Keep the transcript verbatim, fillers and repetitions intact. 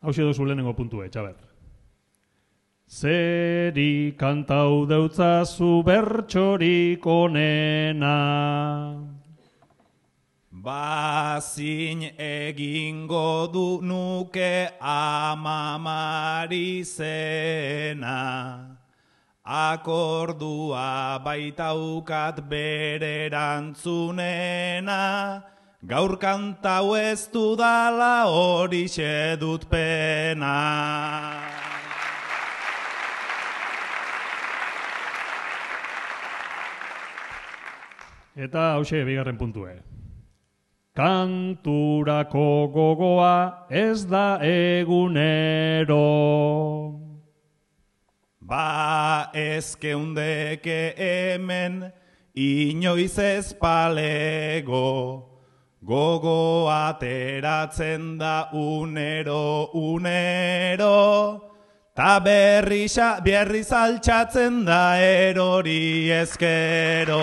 Hauxe dozu lehenengo puntue, Txaber. Zeri kantau deutzazu bertxorik onena. Bazin egingo du nuke amamari zena. Akordua baitaukat bererantzunena. Gaur kantau ez dudala horixe dut pena. Eta hauxe bigarren puntue. Kanturako gogoa ez da egunero. Ba ez geundeke hemen inoiz ez palego. Gogo ateratzen da unero, unero, ta berriz altxatzen da erori ezkero.